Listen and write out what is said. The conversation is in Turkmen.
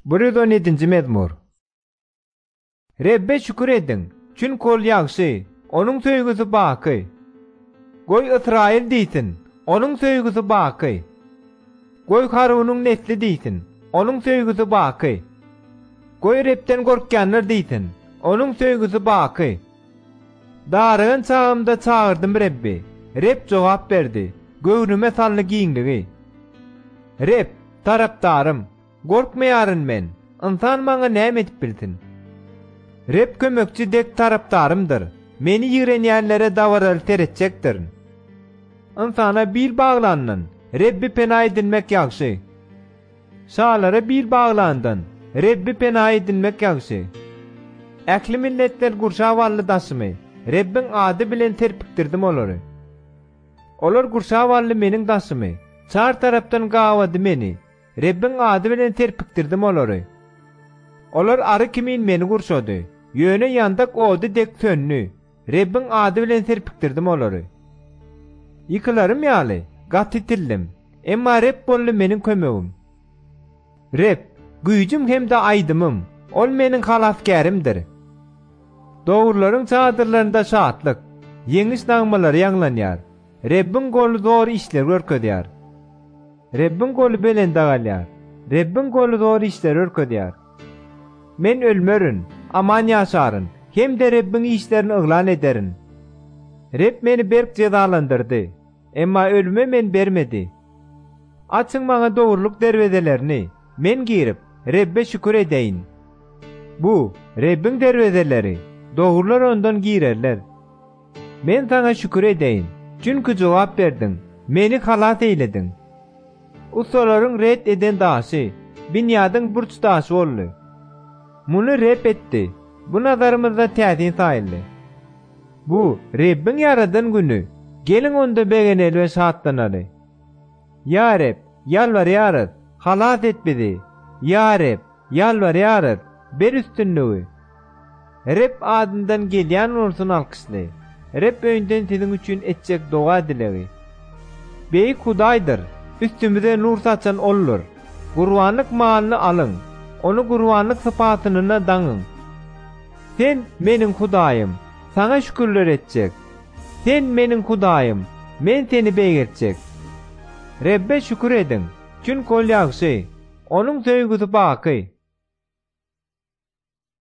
117-nji mezmur. Rebbe şükür ediň, çünki Ol ýagşy, Onuň söýgüsi baky. Goý Ysraýyl diýsin, Onuň söýgüsi baky. Goý Harunyň nesli diýsin, Onuň söýgüsi baky. Goý Rebden gorkýanlar diýsin, Onuň söýgüsi baky. Darygan çagymda çagyrdym Rebbi, Reb jogap berdi, göwnüme saldy giňligi. Reb, tarapdarym, Gorkmaýaryn men, ynsan maňa näme edip bilsin? Reb kömekçi dek tarapdarymdyr, meni ýigrenýänlere dabaraly seretjekdirin. Ynsana bil baglandan, Rebbi pena edinmek ýagşy. Şalara bil baglandan, Rebbi pena edinmek ýagşy. Ähli milletler gurşap aldy daşymy, Rebbiň ady bilen serpikdirdim olary. Olar gurşap aldy meniň daşymy, çar tarapdan gabady meni, Rebbiň ady bilen serpikdirdim olary. Olar ary kimin meni gurşady, ýöne ýandak ody dek söndi. Rebbiň ady bilen serpikdirdim olary. Ýykylarym ýaly, gaty itildim, emma Reb boldy meniň kömegim. Reb, güýjüm hem-de aýdymym, Ol meniň halasgärimdir. Dogrularyň çadyrlarynda şatlyk, ýeňiş nagmalary ýaňlanýar. Rebbiň goly zor işleri görkezýär. Rebbiň goly belende galýar. Rebbiň goly zor işleri görkezýär. Men ölmerin, aman ýaşaryn hem-de Rebbiň işlerini yglan ederin. Reb meni berk jezalandyrdy, emma ölüme meni bermedi. Açyň maňa dogrulyk derwezelerini, men girip, Rebbe şükür edeýin. Bu, Rebbiň derwezeleri, dogrular ondan girerler. Men Saňa şükür edeýin, çünki jogap berdiň, meni halas eýlediň. Ussalaryň ret eden daşy, binýadyň burç daşy boldy. Muny Reb etdi, bu nazarymyzda täsin saýyldy. Bu, Rebbiň ýaradan güni, geliň onda begeneli we şatlanaly. Ýa Reb, ýalbarýarys, halas et bizi! Ýa Reb, ýalbarýarys, ber üstünligi! Reb adyndan gelýän bolsun alkyşly! Reb öýünden siziň üçin etjek doga-dilegi. Beýik Hudaýdyr, üstümize nur saçan Oldur. Gurbanlyk malyny alyň, ony gurbanlyk sypatynyna daňyň. Sen, meniň Hudaýym, Saňa şükürler etjek. Sen, meniň Hudaýym, men Seni beýgeltjek. Rebbe şükür ediň, çünki Ol ýagşy, Onuň söýgüsi baky.